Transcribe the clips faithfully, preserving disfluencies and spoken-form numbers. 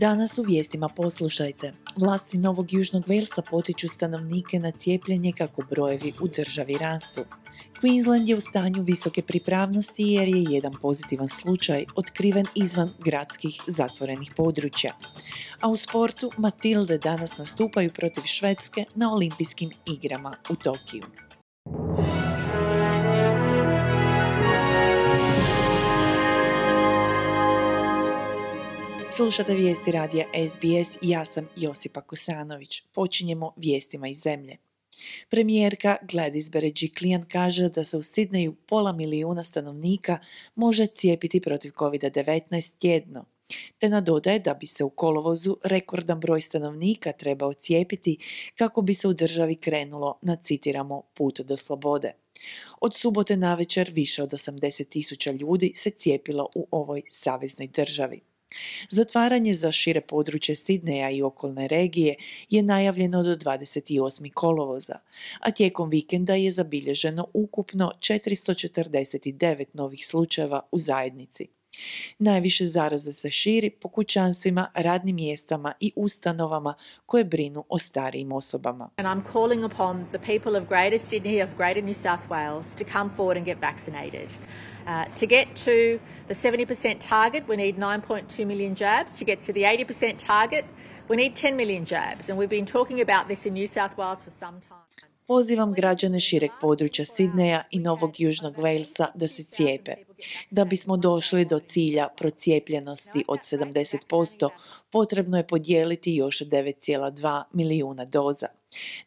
Danas u vijestima poslušajte. Vlasti Novog Južnog Walesa potiču stanovnike na cijepljenje kako brojevi u državi rastu. Queensland je u stanju visoke pripravnosti jer je jedan pozitivan slučaj otkriven izvan gradskih zatvorenih područja. A u sportu Matilde danas nastupaju protiv Švedske na olimpijskim igrama u Tokiju. Slušate vijesti radija S B S, ja sam Josipa Kosanović. Počinjemo vijestima iz zemlje. Premijerka Gladys Berejiklian kaže da se u Sidneju pola milijuna stanovnika može cijepiti protiv covid devetnaest tjedno, te nadodaje da bi se u kolovozu rekordan broj stanovnika trebao cijepiti kako bi se u državi krenulo na, citiramo, put do slobode. Od subote navečer više od osamdeset tisuća ljudi se cijepilo u ovoj saveznoj državi. Zatvaranje za šire područje Sidneja i okolne regije je najavljeno do dvadeset osmog kolovoza, a tijekom vikenda je zabilježeno ukupno četiristo četrdeset devet novih slučajeva u zajednici. Najviše zaraze se širi po kućanstvima, radnim mjestama i ustanovama koje brinu o starijim osobama. And I'm calling upon the people of Greater Sydney, of Greater New South Wales to come forward and get vaccinated. Uh, to get to the seventy percent target, we need nine point two million jabs. To get to the eighty percent target, we need ten million jabs. And we've been talking about this in New South Wales for some time. Pozivam građane šireg područja Sidneja i Novog Južnog Walesa da se cijepe. Da bismo došli do cilja procijepljenosti od sedamdeset posto, potrebno je podijeliti još devet zarez dva milijuna doza.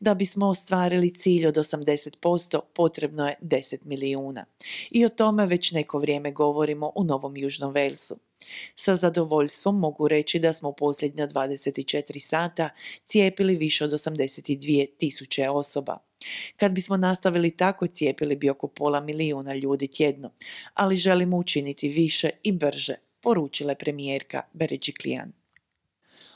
Da bismo ostvarili cilj od osamdeset posto, potrebno je deset milijuna. I o tome već neko vrijeme govorimo u Novom Južnom Walesu. Sa zadovoljstvom mogu reći da smo u posljednja dvadeset četiri sata cijepili više od osamdeset dvije tisuće osoba. Kad bismo nastavili tako, cijepili bi oko pola milijuna ljudi tjedno, ali želimo učiniti više i brže, poručila je premijerka Berejiklian.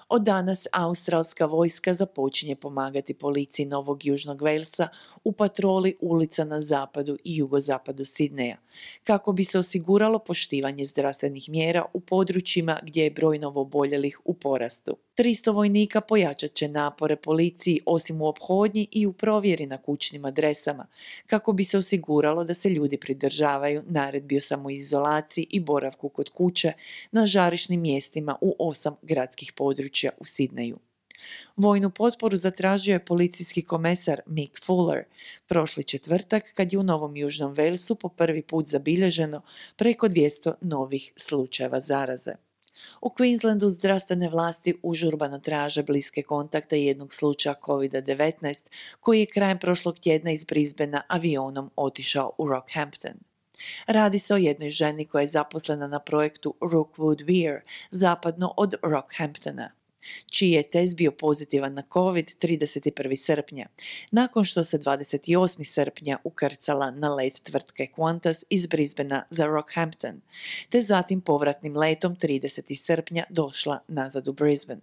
Od danas australska vojska započinje pomagati policiji Novog Južnog Walesa u patroli ulica na zapadu i jugozapadu Sidneja, kako bi se osiguralo poštivanje zdravstvenih mjera u područjima gdje je broj novooboljelih u porastu. tristo vojnika pojačat će napore policiji osim u ophodnji i u provjeri na kućnim adresama, kako bi se osiguralo da se ljudi pridržavaju naredbi o samoizolaciji i boravku kod kuće na žarišnim mjestima u osam gradskih područja u Sidneju. Vojnu potporu zatražio je policijski komesar Mick Fuller prošli četvrtak kad je u Novom Južnom Walesu po prvi put zabilježeno preko dvjesto novih slučajeva zaraze. U Queenslandu zdravstvene vlasti užurbano traže bliske kontakte jednog slučaja covid devetnaest koji je krajem prošlog tjedna iz Brisbanea avionom otišao u Rockhampton. Radi se o jednoj ženi koja je zaposlena na projektu Rookwood Weir, zapadno od Rockhamptona, čiji je test bio pozitivan na covid trideset prvog srpnja, nakon što se dvadeset osmog srpnja ukrcala na let tvrtke Qantas iz Brisbanea za Rockhampton, te zatim povratnim letom tridesetog srpnja došla nazad u Brisbane.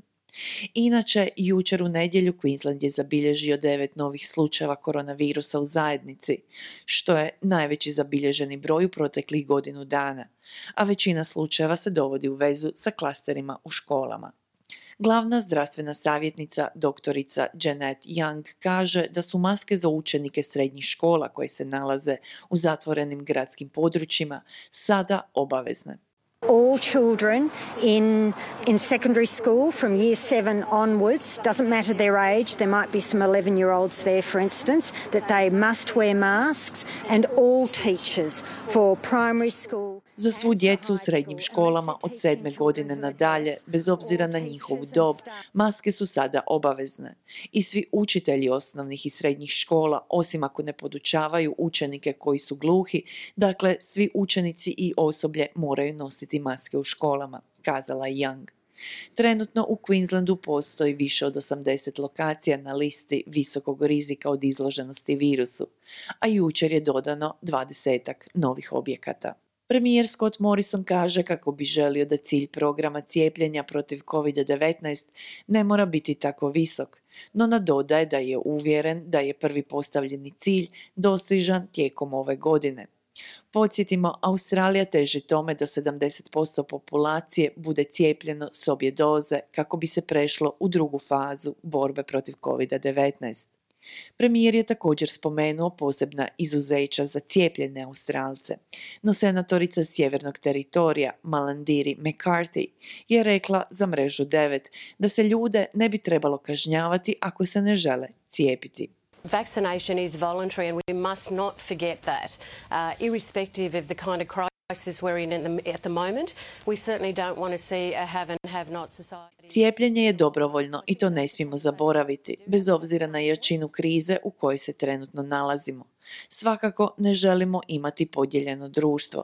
Inače, jučer u nedjelju Queensland je zabilježio devet novih slučajeva koronavirusa u zajednici, što je najveći zabilježeni broj u proteklih godinu dana, a većina slučajeva se dovodi u vezu sa klasterima u školama. Glavna zdravstvena savjetnica doktorica Janet Young kaže da su maske za učenike srednjih škola koje se nalaze u zatvorenim gradskim područjima sada obavezne. All children in in secondary school from year seven onwards, doesn't matter their age, there might be some eleven-year-olds there for instance, that they must wear masks, and all teachers for primary school. Za svu djecu u srednjim školama od sedme godine nadalje, bez obzira na njihovu dob, maske su sada obavezne. I svi učitelji osnovnih i srednjih škola, osim ako ne podučavaju učenike koji su gluhi, dakle svi učenici i osoblje moraju nositi maske u školama, kazala je Young. Trenutno u Queenslandu postoji više od osamdeset lokacija na listi visokog rizika od izloženosti virusu, a jučer je dodano dvadesetak novih objekata. Premijer Scott Morrison kaže kako bi želio da cilj programa cijepljenja protiv covid devetnaest ne mora biti tako visok, no nadodaje da je uvjeren da je prvi postavljeni cilj dostižan tijekom ove godine. Podsjetimo, Australija teži tome da sedamdeset posto populacije bude cijepljeno s obje doze kako bi se prešlo u drugu fazu borbe protiv covid devetnaest. Premijer je također spomenuo posebna izuzeća za cijepljene Australce, no senatorica sjevernog teritorija Malandiri McCarthy je rekla za Mrežu devet da se ljude ne bi trebalo kažnjavati ako se ne žele cijepiti. Vaccination is voluntary and we must not forget that. Uh, irrespective of the kind of crisis we're in at the, at the moment, we certainly don't want to see a have and have not society. Cijepljenje je dobrovoljno i to ne smijemo zaboraviti, bez obzira na jačinu krize u kojoj se trenutno nalazimo. Svakako ne želimo imati podijeljeno društvo.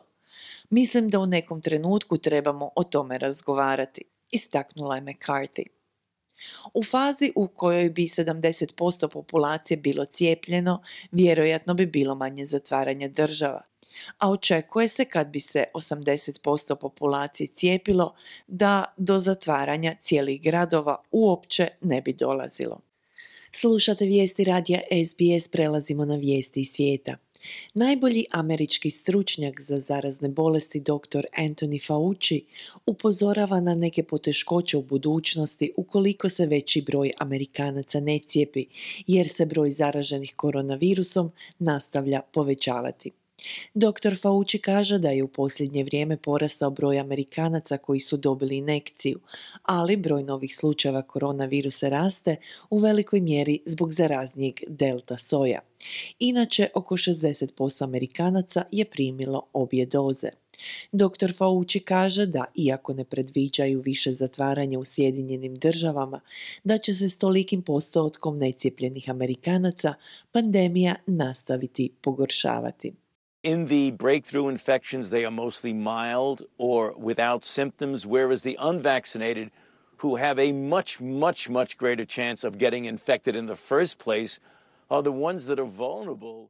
Mislim da u nekom trenutku trebamo o tome razgovarati, istaknula je McCarthy. U fazi u kojoj bi sedamdeset posto populacije bilo cijepljeno, vjerojatno bi bilo manje zatvaranja država, a očekuje se kad bi se osamdeset posto populacije cijepilo da do zatvaranja cijelih gradova uopće ne bi dolazilo. Slušate vijesti radija S B S, prelazimo na vijesti iz svijeta. Najbolji američki stručnjak za zarazne bolesti dr. Anthony Fauci upozorava na neke poteškoće u budućnosti ukoliko se veći broj Amerikanaca ne cijepi, jer se broj zaraženih koronavirusom nastavlja povećavati. doktor Fauci kaže da je u posljednje vrijeme porastao broj Amerikanaca koji su dobili injekciju, ali broj novih slučajeva koronavirusa raste u velikoj mjeri zbog zaraznijeg delta soja. Inače, oko šezdeset posto Amerikanaca je primilo obje doze. doktor Fauci kaže da, iako ne predviđaju više zatvaranja u Sjedinjenim državama, da će se s tolikim postotkom necijepljenih Amerikanaca pandemija nastaviti pogoršavati. In the breakthrough infections, they are mostly mild or without symptoms, whereas the unvaccinated, who have a much, much, much greater chance of getting infected in the first place, are the ones that are vulnerable.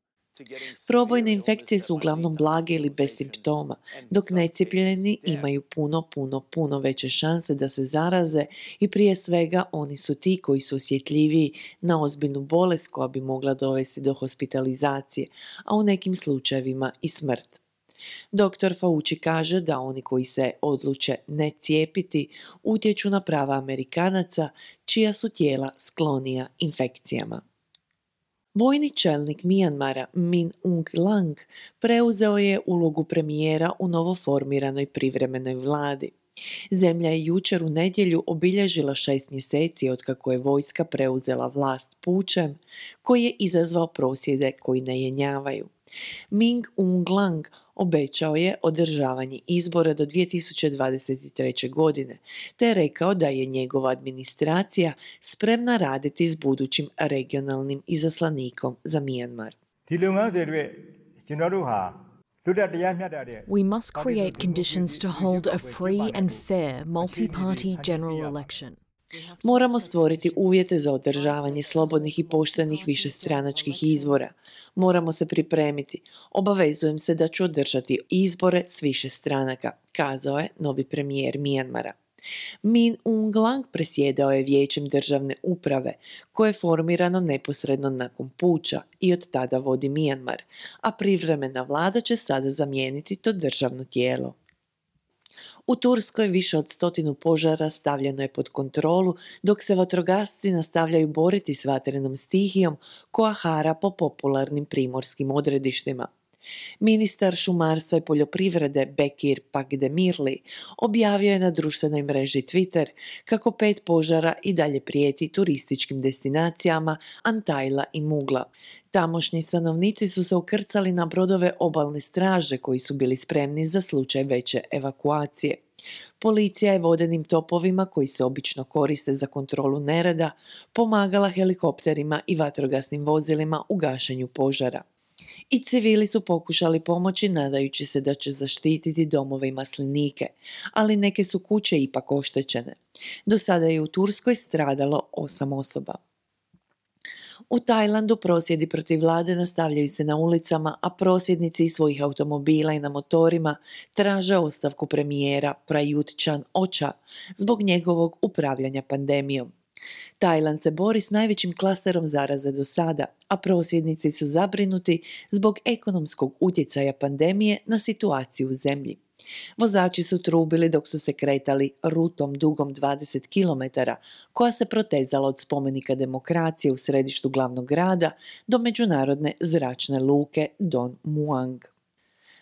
Probojne infekcije su uglavnom blage ili bez simptoma, dok necijepljeni imaju puno, puno, puno veće šanse da se zaraze i prije svega oni su ti koji su osjetljiviji na ozbiljnu bolest koja bi mogla dovesti do hospitalizacije, a u nekim slučajevima i smrt. doktor Fauci kaže da oni koji se odluče ne cijepiti utječu na prava Amerikanaca čija su tijela sklonija infekcijama. Vojni čelnik Mijanmara Min Aung Hlaing preuzeo je ulogu premijera u novoformiranoj privremenoj vladi. Zemlja je jučer u nedjelju obilježila šest mjeseci otkako je vojska preuzela vlast pučem koji je izazvao prosvjede koji ne jenjavaju. Min Aung Hlaing obećao je održavanje izbora do dvije tisuće dvadeset treće. godine, te je rekao da je njegova administracija spremna raditi s budućim regionalnim izaslanikom za Mijanmar. We must create conditions to hold a free and fair multi-party general election. Moramo stvoriti uvjete za održavanje slobodnih i poštenih višestranačkih izbora. Moramo se pripremiti. Obavezujem se da ću održati izbore s više stranaka, kazao je novi premijer Mijanmara. Min Aung Hlaing presjedao je vijećem državne uprave, koje je formirano neposredno nakon puča i od tada vodi Mijanmar, a privremena vlada će sada zamijeniti to državno tijelo. U Turskoj više od stotinu požara stavljeno je pod kontrolu, dok se vatrogasci nastavljaju boriti s vatrenom stihijom koja hara po popularnim primorskim odredištima. Ministar šumarstva i poljoprivrede Bekir Pakdemirli objavio je na društvenoj mreži Twitter kako pet požara i dalje prijeti turističkim destinacijama Antajla i Mugla. Tamošnji stanovnici su se ukrcali na brodove obalne straže koji su bili spremni za slučaj veće evakuacije. Policija je vodenim topovima koji se obično koriste za kontrolu nereda pomagala helikopterima i vatrogasnim vozilima u gašenju požara. I civili su pokušali pomoći nadajući se da će zaštititi domove i maslinike, ali neke su kuće ipak oštećene. Do sada je u Turskoj stradalo osam osoba. U Tajlandu prosvjedi protiv vlade nastavljaju se na ulicama, a prosvjednici iz svojih automobila i na motorima traže ostavku premijera Prayut Chan-ocha zbog njegovog upravljanja pandemijom. Tajland se bori s najvećim klasterom zaraze do sada, a prosvjednici su zabrinuti zbog ekonomskog utjecaja pandemije na situaciju u zemlji. Vozači su trubili dok su se kretali rutom dugom dvadeset kilometara, koja se protezala od spomenika demokracije u središtu glavnog grada do međunarodne zračne luke Don Muang.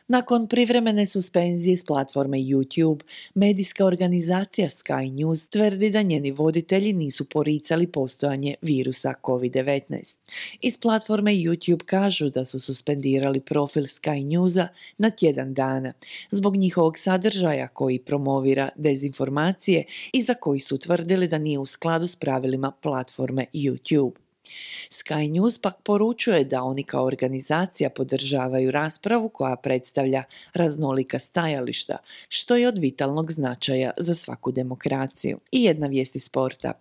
Nakon privremene suspenzije s platforme YouTube, medijska organizacija Sky News tvrdi da njeni voditelji nisu poricali postojanje virusa covid devetnaest. Iz platforme YouTube kažu da su suspendirali profil Sky Newsa na tjedan dana zbog njihovog sadržaja koji promovira dezinformacije i za koji su tvrdili da nije u skladu s pravilima platforme YouTube. Sky News pak poručuje da oni kao organizacija podržavaju raspravu koja predstavlja raznolika stajališta, što je od vitalnog značaja za svaku demokraciju. I jedna vijest iz sporta.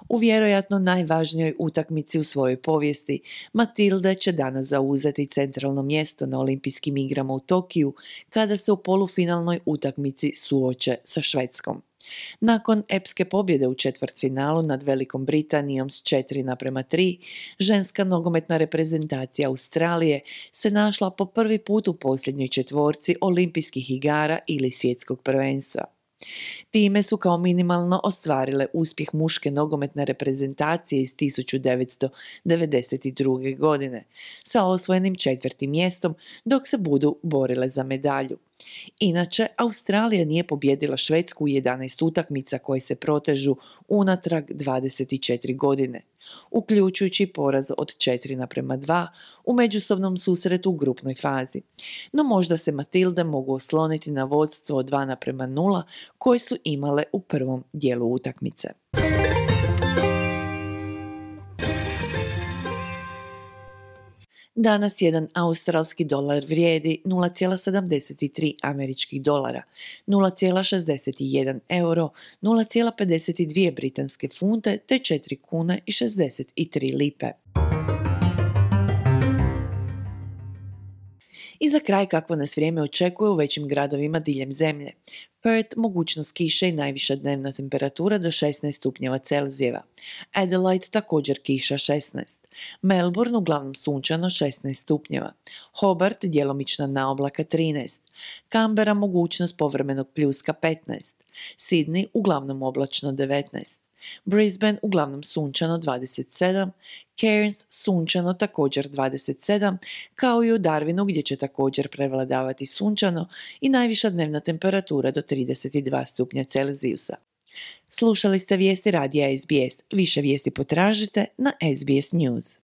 U vjerojatno najvažnijoj utakmici u svojoj povijesti, Matilde će danas zauzeti centralno mjesto na olimpijskim igrama u Tokiju kada se u polufinalnoj utakmici suoče sa Švedskom. Nakon epske pobjede u četvrtfinalu nad Velikom Britanijom s četiri naprema tri, ženska nogometna reprezentacija Australije se našla po prvi put u posljednjoj četvorci olimpijskih igara ili svjetskog prvenstva. Time su kao minimalno ostvarile uspjeh muške nogometne reprezentacije iz tisuću devetsto devedeset druge. godine sa osvojenim četvrtim mjestom dok se budu borile za medalju. Inače, Australija nije pobijedila Švedsku u jedanaest utakmica koje se protežu unatrag dvadeset četiri godine, uključujući poraz od četiri naprema dva u međusobnom susretu u grupnoj fazi. No možda se Matilde mogu osloniti na vodstvo od dva naprema nula koje su imale u prvom dijelu utakmice. Danas jedan australski dolar vrijedi nula zarez sedamdeset tri američkih dolara, nula zarez šezdeset jedan euro, nula zarez pedeset dvije britanske funte te četiri kune i šezdeset tri lipe. I za kraj kakvo nas vrijeme očekuje u većim gradovima diljem zemlje. Perth mogućnost kiše i najviša dnevna temperatura do šesnaest stupnjeva Celzijeva. Adelaide također kiša šesnaest. Melbourne uglavnom sunčano šesnaest stupnjeva. Hobart djelomična naoblaka trinaest. Canberra mogućnost povremenog pljuska petnaest. Sydney uglavnom oblačno devetnaest. Brisbane uglavnom sunčano dvadeset sedam, Cairns sunčano također dvadeset sedam, kao i u Darwinu gdje će također prevladavati sunčano i najviša dnevna temperatura do trideset dva stupnja Celzijusa. Slušali ste vijesti radija S B S. Više vijesti potražite na S B S News.